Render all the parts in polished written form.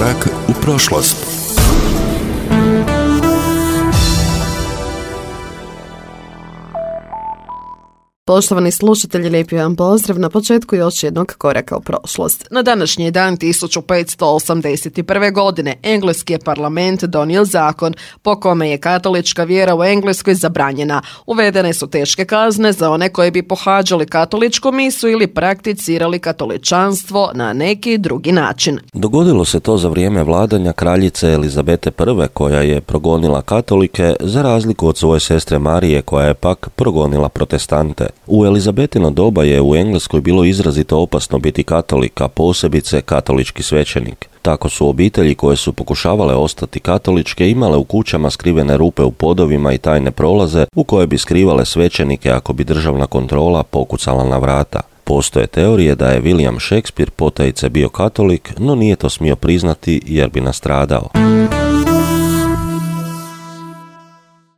Korak u prošlost. Poštovani slušatelji, lijepi vam pozdrav na početku još jednog koraka u prošlost. Na današnji dan 1581. godine engleski je parlament donio zakon po kome je katolička vjera u Engleskoj zabranjena. Uvedene su teške kazne za one koji bi pohađali katoličku misu ili prakticirali katoličanstvo na neki drugi način. Dogodilo se to za vrijeme vladanja kraljice Elizabete I, koja je progonila katolike za razliku od svoje sestre Marije, koja je pak progonila protestante. U Elizabetino doba je u Engleskoj bilo izrazito opasno biti katolik, a posebice katolički svećenik. Tako su obitelji koje su pokušavale ostati katoličke imale u kućama skrivene rupe u podovima i tajne prolaze u koje bi skrivale svećenike ako bi državna kontrola pokucala na vrata. Postoje teorije da je William Shakespeare potajice bio katolik, no nije to smio priznati jer bi nastradao.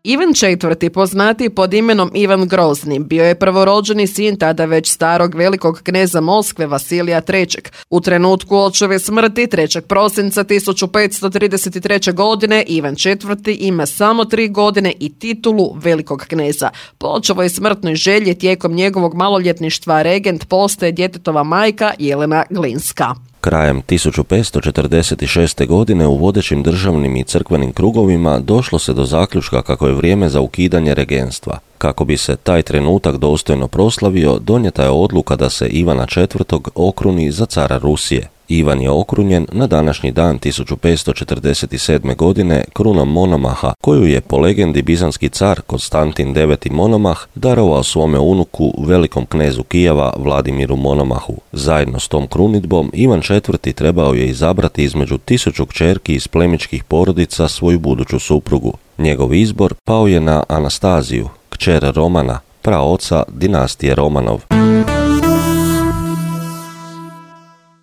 Ivan IV, poznatiji pod imenom Ivan Grozni, bio je prvorođeni sin tada već starog velikog kneza Moskve Vasilija III. U trenutku očeve smrti 3. prosinca 1533. godine Ivan IV ima samo 3 godine i titulu velikog kneza. Po očevoj smrtnoj želji tijekom njegovog maloljetništva regent postaje djetetova majka Jelena Glinska. Krajem 1546. godine u vodećim državnim i crkvenim krugovima došlo se do zaključka kako je vrijeme za ukidanje regenstva. Kako bi se taj trenutak dostojno proslavio, donijeta je odluka da se Ivana IV. Okruni za cara Rusije. Ivan je okrunjen na današnji dan 1547. godine krunom Monomaha, koju je po legendi bizanski car Konstantin IX. Monomah darovao svome unuku velikom knezu Kijeva Vladimiru Monomahu. Zajedno s tom krunidbom Ivan IV. Trebao je izabrati između 1000 kćerki iz plemićkih porodica svoju buduću suprugu. Njegov izbor pao je na Anastaziju, kćer Romana, praoca dinastije Romanov.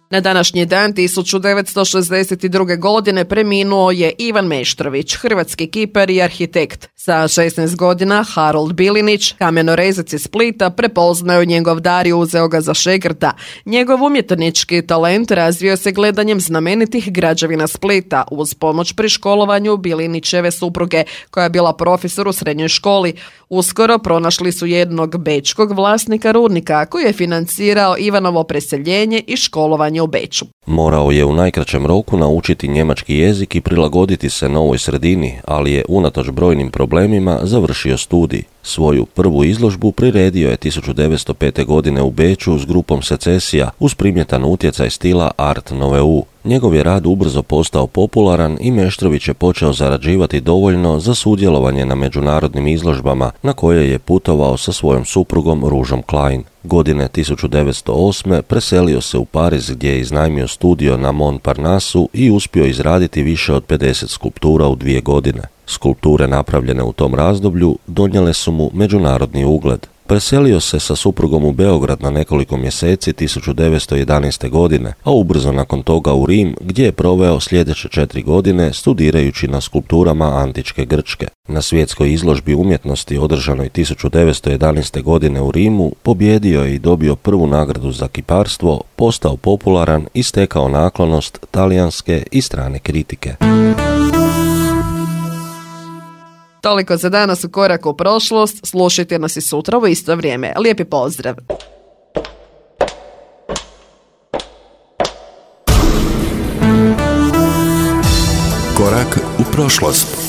Na današnji dan 1962. godine preminuo je Ivan Meštrović, hrvatski kipar i arhitekt. Sa 16 godina Harold Bilinić, kamenorezac iz Splita, prepoznao njegov dar i uzeo ga za šegrta. Njegov umjetnički talent razvio se gledanjem znamenitih građevina Splita uz pomoć pri školovanju Bilinićeve supruge, koja je bila profesor u srednjoj školi. Uskoro pronašli su jednog bečkog vlasnika rudnika koji je financirao Ivanovo preseljenje i školovanje u Beču. Morao je u najkraćem roku naučiti njemački jezik i prilagoditi se novoj sredini, ali je unatoč brojnim problemima završio studij. Svoju prvu izložbu priredio je 1905. godine u Beču s grupom Secesija uz primjetan utjecaj stila Art Nouveau. Njegov je rad ubrzo postao popularan i Meštrović je počeo zarađivati dovoljno za sudjelovanje na međunarodnim izložbama na koje je putovao sa svojom suprugom Ružom Klein. Godine 1908. preselio se u Pariz gdje je iznajmio studio na Montparnassu i uspio izraditi više od 50 skulptura u 2 godine. Skulpture napravljene u tom razdoblju donijele su mu međunarodni ugled. Preselio se sa suprugom u Beograd na nekoliko mjeseci 1911. godine, a ubrzo nakon toga u Rim, gdje je proveo sljedeće 4 godine studirajući na skulpturama antičke Grčke. Na svjetskoj izložbi umjetnosti održanoj 1911. godine u Rimu pobjedio je i dobio prvu nagradu za kiparstvo, postao popularan i stekao naklonost talijanske i strane kritike. Toliko za danas u Koraku u prošlost, slušajte nas i sutra u isto vrijeme. Lijepi pozdrav! Korak u prošlost.